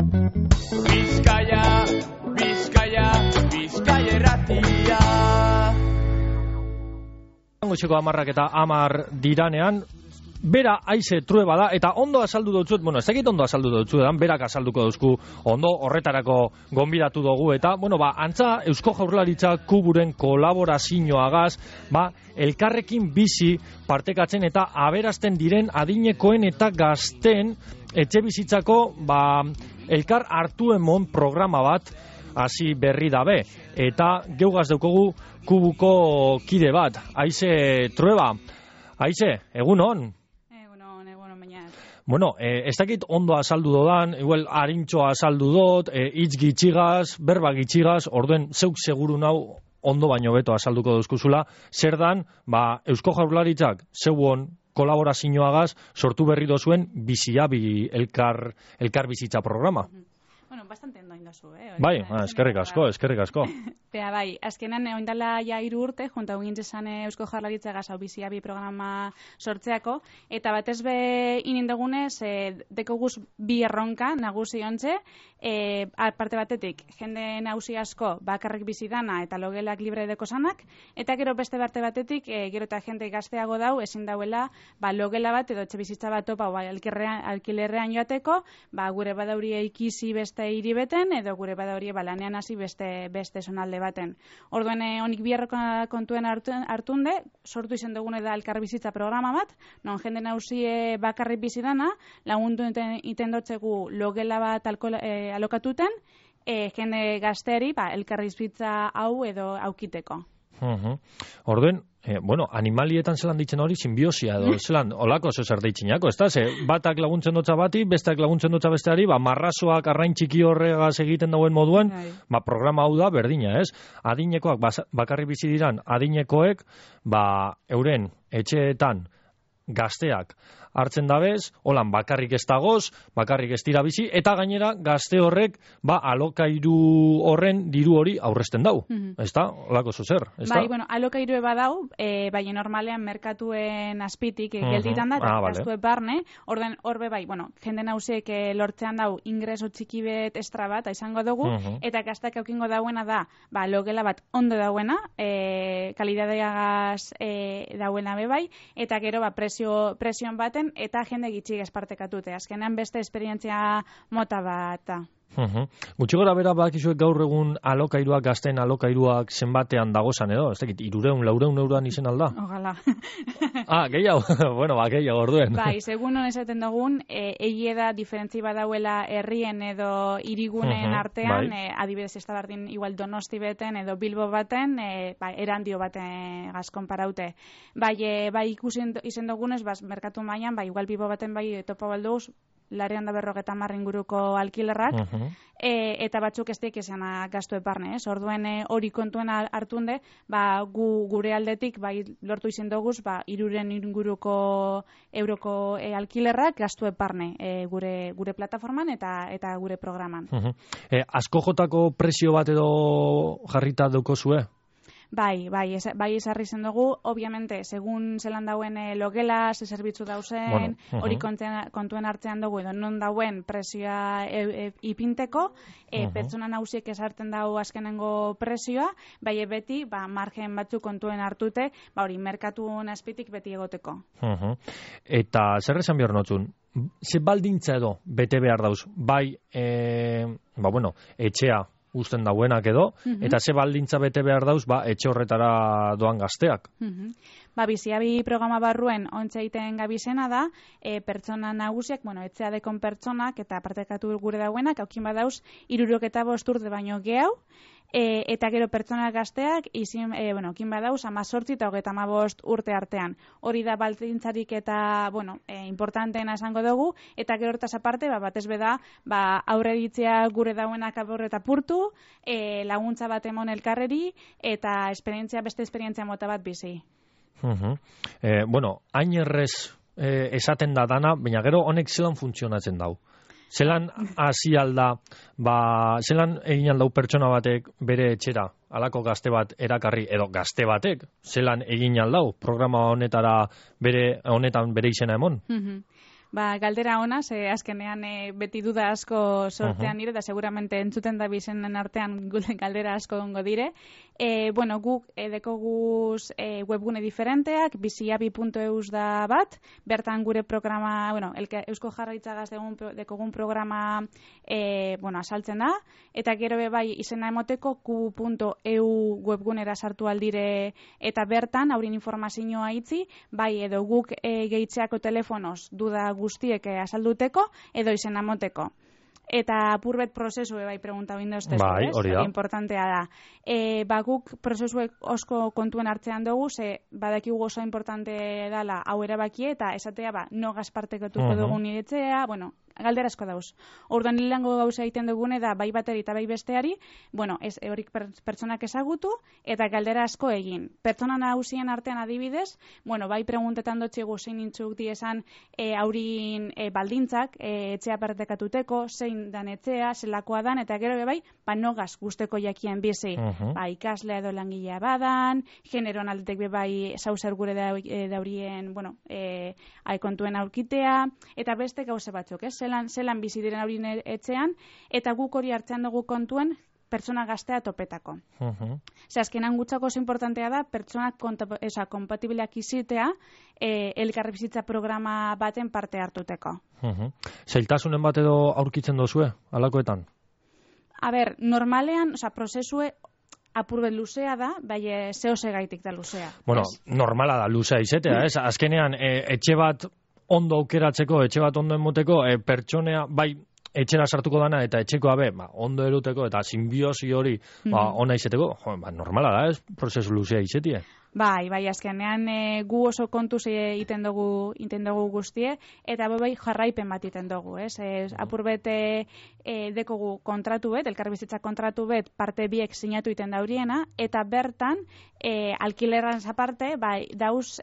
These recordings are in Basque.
Bizkaia, Bizkaia, Bizkaia irratia. Goizeko 10 eta 10 diranean, bera haize trueba da, eta ondo azaldu dutzuet, ez dakit ondo azaldu dutzuetan, berak azalduko duzku ondo horretarako gonbidatu dugu, eta, antza Eusko Jaurlaritza Kuburen kolaborazioagaz, elkarrekin bizi partekatzen eta aberazten diren adinekoen eta gazten etxe bizitzako, elkar hartu emon programa bat, hasi berri dabe, eta geugaz daukogu Kubuko kide bat, haize trueba, haize, egunon? Bueno, ez dakit ondo azaldu dodan, igual harintxoa azaldu dot, hitz gitxigaz, berba gitxigaz, orduen zeuk seguru nau ondo baino beto azalduko duzkuzula, zer dan, Eusko Jaurlaritzak zeuon kolaborazioagaz sortu berri dozuen biziabi elkar bizitza programa. Bueno, bastante ondo indazu, Bai, eskerrik asko. Bea, bai, azkenan oindala ja 3 urte, junta gintzen Eusko Jaurlaritza gazau biziabi programa sortzeako, eta batez be inindegunez, dekoguz bi erronka nagusi ontze, parte batetik, jende nagusi asko bakarrik bizidana eta logelak libre deko sanak, eta gero beste parte batetik, gero eta jende gazteago dau, ezin dauela, logela bat edo etxe bizitza bat topa, alkilerrean joateko, gure badauri eikizi beste hiri beten, edo gure badauri lanean hasi beste zonalde baten. Orduen honik biharroko kontuen hartunde, sortu izan dugune da elkar bizitza programa bat, non jende nagusi bakarrik bizidana, lagundu iten dotzegu logela bat alokatuten, jende gazteari elkar bizitza hau edo aukiteko. Orduen, animalietan zelan ditzen hori simbiosia edo, zelan, olako zer deitzinako, ez da? Batak laguntzen dutza bati, besteak laguntzen dutza besteari, marrazoak arrain txiki horregaz egiten dauen moduen, programa hau da berdina, ez? Adinekoak bakarri bizi diran, adinekoek, euren etxeetan gazteak hartzen dabez, holan bakarrik ez dagoz, bakarrik ez dira bizi, eta gainera gazte horrek, alokairu horren diru hori aurrezten dau, ez da? Olako zuzer, ez da? Bai, alokairu badau, baina normalean merkatuen azpitik gelditan da, eta gaztue barne, orden horbe bai, jende nausiek lortzean dau ingreso txiki bet estra bat, izango dugu, eta gaztak eukingo dauena da, logela bat ondo dauena, kalidadeagaz dauena bebai, eta gero presioan baten, eta jende gitxik espartekatute. Azkenean beste esperientzia mota bat. Gutxi gora bera bakizuek gaur egun alokairuak, gazten alokairuak zenbatean dagozan edo? Ez dakit, 300-400 euroan izen alda? Ogala. Gehiago? Gehiago orduen. Bai, segun esaten dugun, egie da diferentzi badauela herrien edo hirigunen artean, adibidez ez da bardin igual Donosti beten edo Bilbo baten, erandio baten gazkon paraute. Bai, ikusi izen dugunez, merkatu mailan, igual Bilbo baten topa balduz, 250 inguruko alkilerrak, eta batzuk ez daik esan gaztu eparne, orduen hori kontuen hartunde, gure aldetik, lortu izan duguz, 300 inguruko euroko alkilerrak gaztu eparne gure plataforman eta gure programan. Asko jotako presio bat edo jarrita daukozue? Bai, esarri zen dugu, obviamente, segun zelan dauen logela, ze zerbitzu dauzen, hori kontuen hartzean dugu, edo non dauen presioa ipinteko, pertsona nausiek esartzen dau azkenengo presioa, bai beti, margen batzuk kontuen hartute, hori merkatuen azpitik beti egoteko. Eta zer esan behar notzun? Ze baldintza edo bete behar dauz? Bai, etxea uzten dauenak edo, eta ze baldintza bete behar dauz, etxe horretara doan gazteak. Biziabi programa barruen ontsa egiten gabizena da, pertsona nagusiak, etxea dekon pertsonak eta partekatu gure dauenak, haukin badauz, 65 urte baino gehau, eta gero pertsona gazteak, kin badauz, 18 eta 35 urte artean. Hori da baldintzarik eta, importanteena esango dugu, eta gero hortaz aparte, batez beda, aurre ditzea gure dauenak aborre eta purtu, laguntza bat emon elkarreri, eta beste esperientzia mota bat bizi. Hain errez esaten da dana, baina gero honek zelan funtzionatzen dau. Zelan hasi alda, zelan egin aldau pertsona batek bere etxera, halako gazte bat erakarri, edo gazte batek, zelan egin aldau programa honetan bere izena emon? Galdera ona, azkenean beti duda asko sortean nire, da seguramente entzuten da bizenen artean galdera asko gongo dire. Guk dekoguz webgune diferenteak, biziabi.eus da bat, bertan gure programa, Eusko Jaurlaritzagaz dekogun programa asaltzen da, eta gero bai izena emoteko q.eu webgunera sartu aldire, eta bertan haurin informazioa itzi, bai edo guk gehitzeako telefonoz duda guztiek asalduteko, edo izena emoteko. Eta apurbet prozesu bai pregunta bindu ez, bai, hori da. Importantea da. Guk prozesuek osko kontuen hartzean dugu, ze badakigu oso importante dala hau erabakie, eta esatea no gazpartekotuko dugu niretzea, galdera asko dauz. Orduan hilango gauza egiten dugune da bai bateri eta bai besteari, horik pertsonak ezagutu eta galdera asko egin. Pertsona nagusien artean adibidez, bai preguntetan dotxigu zein intzuk diesan haurin baldintzak, etxea partekatuteko, zein dan etxea, zelakoa dan, eta gero bai, nogaz guzteko jakien bizi. Ikaslea edo langilea badan, generoan aldetek bai zauzer gure daurien, kontuen aurkitea, eta beste gauze batzuk, zelan bizi diren haurin etxean, eta guk hori hartzean dugu kontuen pertsona gaztea topetako. Azkenan gutzako oso importantea da, pertsonak kompatibileak izitea elkarri bizitza programa baten parte hartuteko. Zailtasunen bat edo aurkitzen dozue, alakoetan? Normalean, prozesue apurbet luzea da, bai zehose gaitik da luzea. Normala da luzea izetea, ez? Azkenean, etxe bat ondo aukeratzeko, etxe bat ondo emoteko, pertsonea, bai, etxera sartuko dana eta etxekoa ondo eruteko eta simbiosi hori ona izeteko, normala da, ez? Prozesu luzea izetie. Bai, azkenean gu oso kontuz iten dugu guztie, eta bai jarraipen bat iten dugu, ez? Apurbet dekogu kontratu bet, elkarbizitza kontratu bet, parte biek sinatu iten dauriena, eta bertan, alkilerran aparte, bai, dauz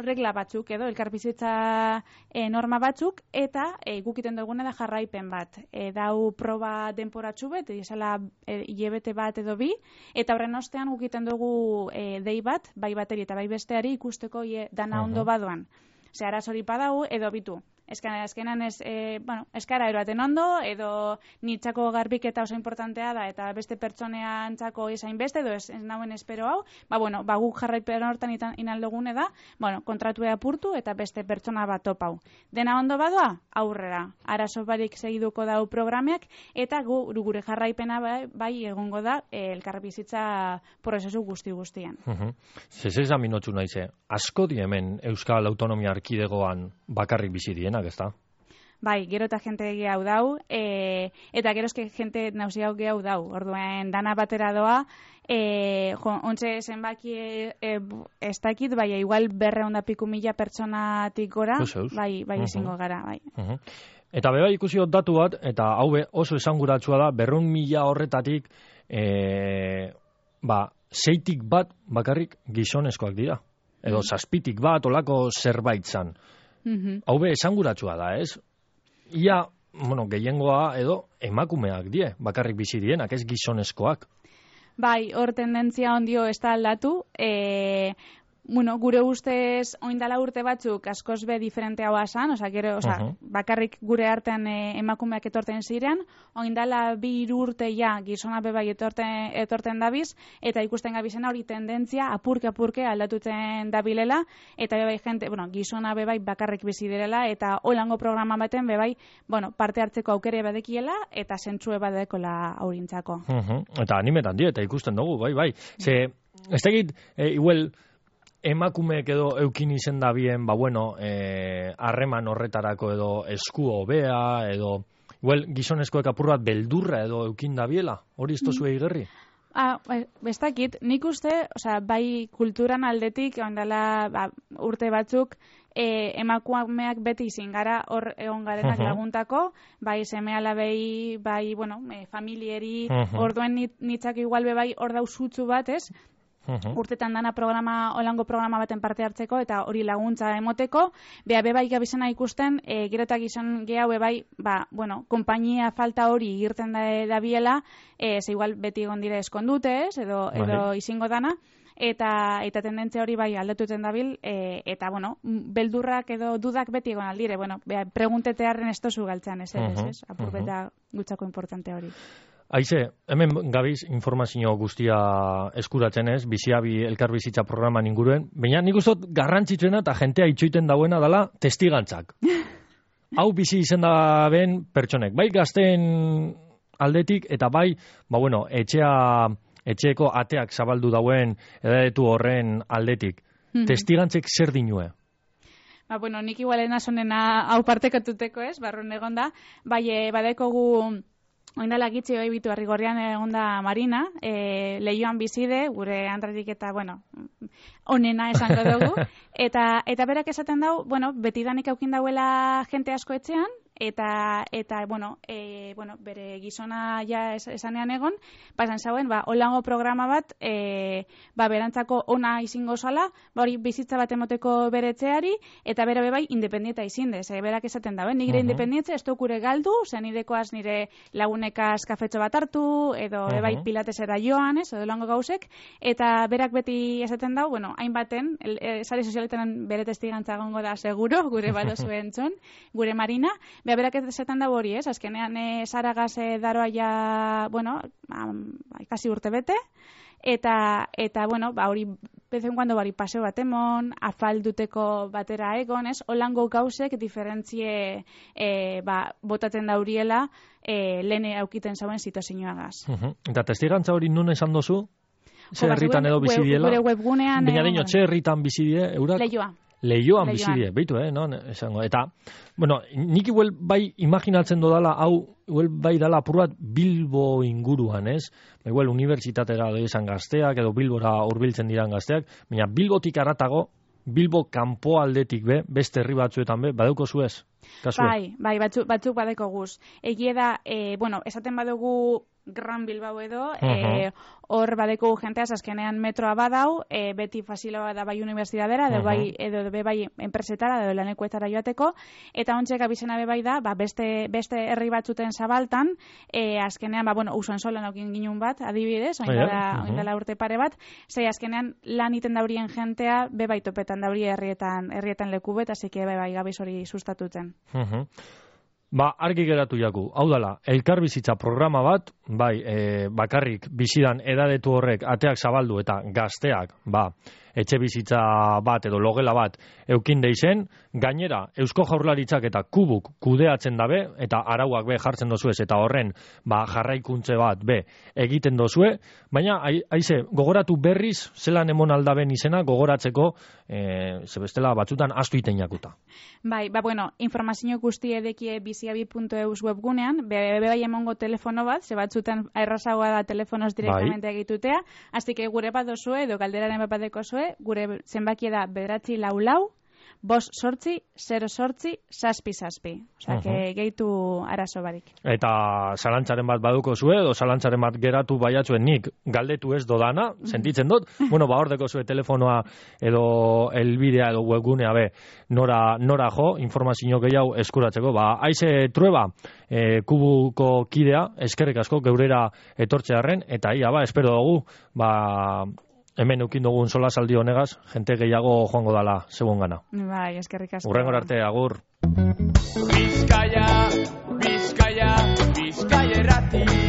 regla batzuk edo elkarbizitza norma batzuk, eta gukiten dugune da jarraipen bat. Dau proba denporatxu bet, izala hilebete bat edo bi, eta horren ostean gukiten dugu dei bat, bai bateri eta bai besteari ikusteko dana ondo badoan. Ze arazori padau edo bitu. Eskenan eskara eroaten ondo, edo nitzako garbiketa oso importantea da, eta beste pertsonean txako esain beste, edo ez nauen espero hau, guk jarraipen hortan inaldogune da, kontratu apurtu eta beste pertsona bat topau. Dena ondo badoa, aurrera. Arazo barik segiduko dau programeak, eta gure jarraipena bai egongo da elkarbizitza prozesu guzti-guztian. Zezeza minotxu naize, asko di hemen Euskal Autonomia Erkidegoan bakarrik bizi dienak, ez da? Bai, gero eta jente gehiago dau, eta gerozke jente nausiago gehiago dau. Orduen, dana batera doa, ontxe zenbaki ez dakit, bai, igual 200.000 pertsonatik gora, bai, ezingo gara, bai. Eta beba ikusi datu bat, eta hau oso esanguratsua da, 200.000 horretatik, 6tik bat bakarrik gizonezkoak dira. Edo 7tik bat, olako zerbait zan. Hau esanguratsua da, ez? Ia, gehiengoa edo emakumeak die, bakarrik bizi dienak, ez gizonezkoak. Bai, hor tendentzia ondio ez da aldatu, gure ustez oindala urte batzuk askoz be diferente hau asan, bakarrik gure artean emakumeak etorten ziren, oindala 2 urte gizona bebai etorten dabiz, eta ikusten gabizena hori tendentzia apurke aldatuten dabilela, eta bebai jente, gizona bebai bakarrik bizi direla, eta holango programa baten bebai, parte hartzeko aukere badekiela, eta zentzue badekola aurintzako. Eta animetan die, eta ikusten dugu, bai. Ze, ez tegit, igual, emakumeek edo eukin izen da bien, harreman horretarako edo esku hobea, edo gizonezkoek apur bat beldurra edo eukin da biela, hori ez tozu egigerri? Bestakit, nik uste, bai kulturan aldetik, ondala urte batzuk, emakumeak beti izin gara hor egon garenak laguntako, bai seme alabei, bai, familieri, orduen nitzak igual bai hor dauzutzu bat, ez? Urtetan dana holango programa baten parte hartzeko eta hori laguntza emoteko, bebai gabizena ikusten, gero eta gizon gehiago bebai, konpainia falta hori irten da biela, ze igual beti egon dire eskondute, edo izingo dana, eta tendentzia hori bai aldatuten dabil, eta, bueno, beldurrak edo dudak beti egon aldire, bueno, preguntetearren estozu galtzean, ez? Apurbeta gutzako importante hori. Aize, hemen gabiz informazio guztia eskuratzen ez, biziabi elkarbizitza programan inguruen, baina nik ustot garrantzitsuena eta jentea itxoiten dauena dela testigantzak. Hau bizi izen da ben pertsonek, bai gazten aldetik eta bai, etxeeko ateak zabaldu dauen edadetu horren aldetik. Testigantzek zer dinue? Nik igualena sonena hau partekatuteko ez, barrun egon da, bai badekogu oindala gitzi hoi bitu Arrigorrian egon da Marina, lehioan bizide, gure andratik eta, onena esango dugu, eta berak esaten dau, betidanik aukin dauela jente asko etxean, eta bere gizona ja esanean egon, pasan zauen, holango programa bat, berantzako ona izingo zala, hori bizitza bat emoteko bere etxeari, eta bere bebai independienta izindez, berak esaten da, nire independientza ez dokure galdu, zen nirekoaz nire lagunekaz kafetxo bat hartu, edo bebai pilatesera joan, edo holango gauzek, eta berak beti esaten dau, hainbaten, sare sozialetan bere testigantza gongo da seguro, gure badozuen txon, gure Marina, berak esaten da hori, ez? Azkenean Saragaz daroa ja, kasi urte bete, eta hori, bezen kuando bari paseo bat emon, afalduteko batera egon, ez? Holango gauzek diferentzie botaten dauriela lehen aukiten zauen situazioagaz. Eta testigantza hori nun esan dozu? Ze herritan edo bizidiela? Gure webgunean... Baina dino, ze herritan bizidie, eurak? Lehioan bizidie, beitu, esango. Eta, nik igual bai imaginatzen dodala, hau, igual bai dala apurrat Bilbo inguruan, ez? Igual unibertsitatera esan gazteak, edo Bilbora hurbiltzen diran gazteak, baina Bilbotik aratago, Bilbo kanpo aldetik beste herri batzuetan badeuko zuez? Bai, batzuk badeko guz. Egie da, esaten badugu Gran Bilbao edo, hor badeko jenteaz azkenean metroa badau, beti fasiloa da bai unibertsitatera, edo bai enpresetara, edo lanekuetara joateko, eta ontsek abizena bai da, beste herri batzuten zabaltan, azkenean, usuan solan aukin ginun bat, adibidez, oindala urte pare bat, zei azkenean lan iten daurien jentea, bai topetan daurie herrietan leku bet, azike bai gabiz hori sustatutzen. Argi geratu jaku, hau dala, elkarbizitza programa bat, bakarrik bizidan edadetu horrek ateak zabaldu eta gazteak, etxe bizitza bat edo logela bat eukin deizen, gainera, Eusko Jaurlaritzak eta kubuk kudeatzen dabe, eta arauak jartzen dozuez, eta horren jarraikuntze bat egiten dozue, baina, haize, gogoratu berriz, zelan emon aldaben izena, gogoratzeko, zebestela batzutan astu iten jakuta. Informazio guzti edekie biziabi.eus webgunean, bai emongo telefono bat, ze batzutan errazagoa da telefonoz direktamente egitutea, así que gure bat dozue, edo galderaren bat badeko zue, gure zenbakia da 944 588 008 Osea, gehitu arazo barik. Eta zalantzaren bat baduko zue, edo zalantzaren bat geratu baiatzuen nik galdetu ez dodana, sentitzen dut, hordeko zue telefonoa edo elbidea edo webgunea nora jo, informazio gehiago eskuratzeko. Aize Trueba, kubuko kidea, eskerrik asko geurera etortzearen, eta espero dugu, hemen eukin dugun solasaldi honegaz, jente gehiago joango dala segun gana. Bai, eskerrik asko. Urrengor arte, agur. Bizkaia, Bizkaia, Bizkaia erratia.